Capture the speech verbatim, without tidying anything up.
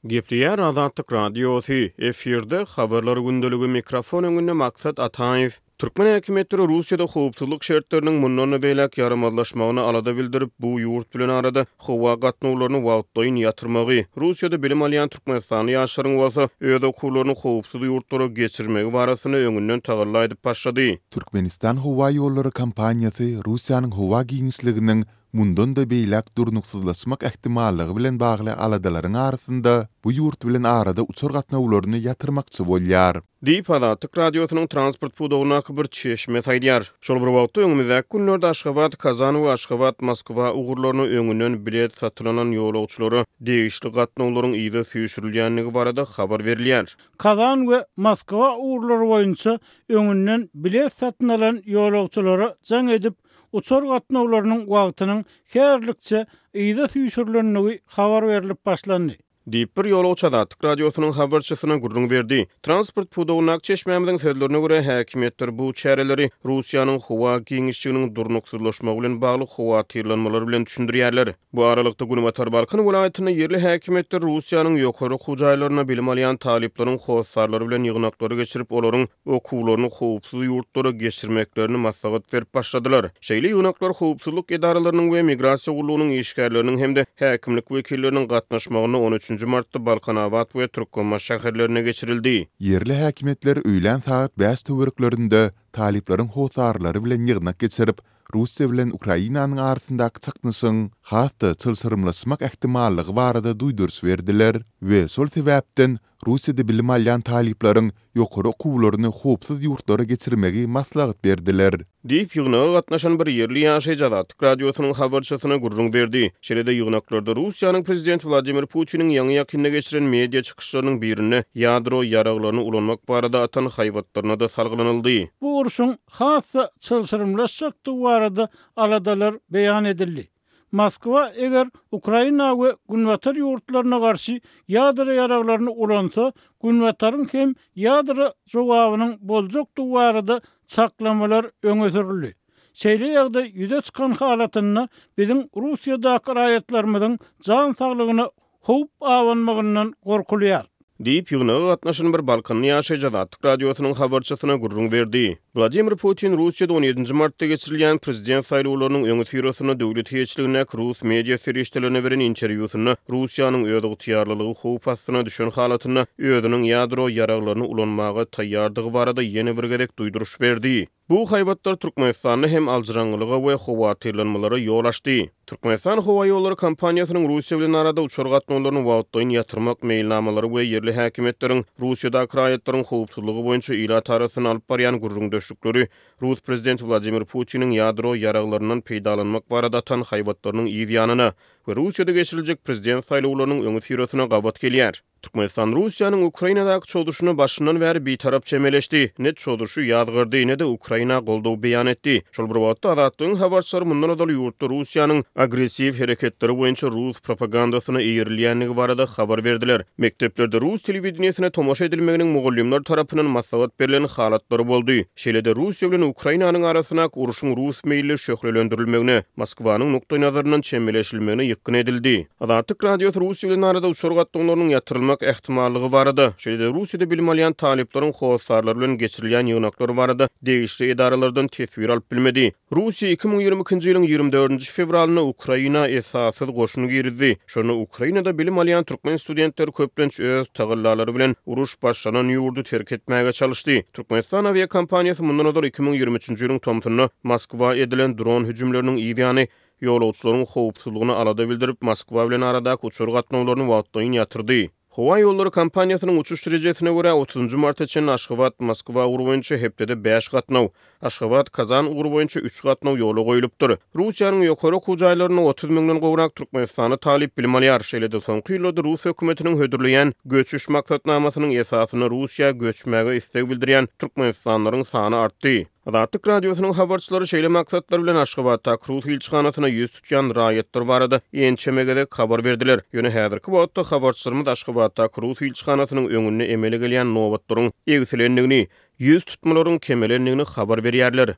Gepleýär Azatlyk Radiosy, efirde Habarlar gündeligi, mikrofon öňünde Maksat Ataýew. Türkmen häkimiýetleri Russiýada howpsuzlyk şertleriniň mundan-da beýläk ýaramazlaşmagyna alada bildirip, bu ýurt bilen arada howa gatnawlaryny wagtlaýyn ýatyrmagy, Russiýada bilim alýan türkmenistanly ýaşlaryň bolsa öz okuwlaryny howpsuz ýurtlara geçirmegi barasynda öňünden tagalla edip başlady. Türkmenistan howaýollary kompaniýasy Russiýanyň howa giňişliginiň mundan-da beýläk durnuksyzlaşmak ähtimallygy bilen bagly aladalaryň arasynda bu ýurt bilen arada uçar gatnawlaryny ýatyrmakçy bolýar. Diýip, Azatlyk Radiosynyň transport pudagyndaky bir çeşmesi aýdýar. Şol bir wagtda, öňümizdäki günlerde Aşgabat-Kazan we Aşgabat-Moskwa ugurlaryna öňünden bilet satylanan ýolagçylara degişli gatnawlaryň yza süýşürilýändigi barada habar berilýär. Kazan we Moskwa ugurlary boýunça öňünden bilet satyn alan ýolagçylara jaň edip, uçar gatnawlarynyň wagtynyň häzirlikçe yza süýşürilendigi habar berlip başlandy. Diýip, bir ýolagçy Azatlyk Radiosynyň habarçysyna gürrüň berdi. Transport pudagyndaky çeşmämiziň sözlerine görä, häkimiýetler bu çäreleri Russiýanyň howa giňişliginiň durnuksyzlaşmagy bilen bagly howatyrlanmalar bilen düşündirýärler. Bu aralykda, günbatar Balkan welaýatynda ýerli häkimiýetler Russiýanyň ýokary okuw jaýlarynda bilim alýan talyplaryň hossarlary bilen ýygnaklary geçirip, olaryň okuwlaryny howpsuz ýurtlara geçirmeklerini maslahat berip başladylar. Şeýle ýygnaklar howpsuzlyk edaralarynyň we migrasiýa gullugynyň işgärleriniň hem-de häkimlik wekilleriniň gatnaşmagynda on üçünji martda Balkanabat we Türkmenbaşy şäherlerinde geçirildi. Ýerli häkimiýetler öýlän sagat bäş töwereklerinde talyplaryň hossarlary bilen ýygnak geçirip, Russiýa bilen Ukrainanyň arasyndaky çaknyşygyň has-da çylşyrymlaşmak ähtimallygy barada duýduryş berdiler we şol sebäpden Russiýada bilim alýan talyplaryň ýokary okuwlaryny howpsuz ýurtlara geçirmegi maslahat berdiler. Diýip, ýygnaga gatnaşan bir ýerli ýaşaýjy Azatlyk Radiosynyň habarçysyna gürrüň berdi. Şeýle-de ýygnaklarda Russiýanyň prezidenti Wladimir Putiniň ýaňy-ýakynda geçiren media çykyşlarynyň birinde ýadro ýaraglaryny ulanmak barada atan haýbatlaryna-da salgylanyldy. Bu urşuň has-da çylşyrymlaşjakdygy barada aladalar beýan edildi. Moskwa eger Ukraina we Günbatar ýurtlaryna garşy ýadro ýaraglaryny ulansa, Günbataryň hem ýadro jogabynyň boljakdygy barada çaklamalar öňe sürüldi. Şeýle ýagdaý ýüze çykan halatynda biziň Russiýadaky raýatlarymyzyň jan saglygyna howp abanmagyndan gorkulýar. Diýip, ýygnaga gatnaşan bir balkanly ýaşaýjy Azatlyk Radiosynyň habarçysyna gürrüň berdi. Wladimir Putin Russiýada on ýedinji martda geçirilýän prezident saýlawlarynyň öňüsyrasynda döwlet eýeçiligindäki rus media serişdelerine beren interwýusynda Russiýanyň özygtyýarlylygy howp astyna düşen halatynda özüniň ýadro ýaraglaryny ulanmaga taýýardygy barada ýene bir gezek duýduryş berdi. Bu haýbatlar Türkmenistanda hem aljyraňňylyga we howatyrlanmalara ýol açdy. Türkmenistan howaýollary kompaniýasynyň Russiýa bilen arada uçar gatnawlaryny wagtlaýyn ýatyrmak meýilnamalary we ýerli häkimiýetleriň Russiýadaky raýatlaryň howpsuzlygy boýunça ilat arasynda alyp barýan gürrüňdeşlikleri rus prezidenti Wladimir Putiniň ýadro ýaraglaryndan peýdalanmak barada atan haýbatlarynyň yz ýanyna we Russiýada geçiriljek prezident saýlawlarynyň öňüsyrasyna gabat gelýär. Türkmenistan Russiýanyň Ukrainadaky çozuşyna başyndan bäri bitarap çemeleşdi, ne çozuşy ýazgardy, ne-de Ukraina goldaw beýan etdi. Şol bir wagtda, Azatlygyň habarçylary mundan ozal ýurtda Russiýanyň agressiw hereketleri boýunça rus propagandasyna eýerilýändigi barada habar berdiler. Mekdeplerde rus telewideniýesine tomaşa edilmeginiň mugallymlar tarapyndan maslahat berlen halatlary boldy. Şeýle-de Russiýa bilen Ukrainanyň arasyndaky urşuň rus meýilli şöhlelendirilmegine, Moskwanyň nukdaýnazaryndan çemeleşilmegine ýykgyn edildi. Azatlyk Radiosy Russiýa bilen arada uçar gatnawlarynyň ýatyrylmak ähtimallygy barada, şeýle-de Russiýada bilim alýan talyplaryň hossarlary bilen geçirilýän ýygnaklar barada degişli edaralardan teswir alyp bilmedi. Russiýa iki müň ýigrimi ikinji ýylyň ýigrimi dördünji fewralynda Ukraina esassyz goşun girizdi. Şonda Ukrainada bilim alýan türkmen studentleri köplenç öz tagallalary bilen uruş başlanan ýurdy terk etmäge çalyşdy. Türkmenistan awiakompaniýasy mundan ozal iki müň ýigrimi üçünji ýylyň tomsunda Moskwa edilen dron hüjümleriniň yz ýany ýolagçylaryň howpsuzlygyna alada bildirip, Moskwa bilen aradaky uçar gatnawlaryny wagtlaýyn ýatyrdy. Howa ýollary kompaniýasynyň uçuş rejesine görä, otuzynjy marta çenli Aşgabat, Moskwa ugry boýunça hepdede bäş gatnaw, Aşgabat, Kazan ugry boýunça üç gatnaw ýola goýlupdyr. Russiýanyň ýokary okuw jaýlarynda otuz müňden gowrak türkmenistanly talyp bilim alýar. Şeýle-de soňky ýyllarda rus hökümetiniň hödürleýän göçüş maksatnamasynyň esasynda Russiýa göçmäge isleg bildirýän türkmenistanlylaryň sany artdy. Azatlyk Radiosynyň habarçylary şeýle maksatlar bilen Aşgabatdaky rus ilçihanasyna ýüz tutýan raýatlar barada ençeme gezek habar berdiler. Ýöne häzirki wagtda habarçylarymyz Aşgabatdaky rus ilçihanasynyň öňünde emele gelýän nobatlaryň egsilendigini, ýüz tutmalaryň kemelendigini habar berýärler.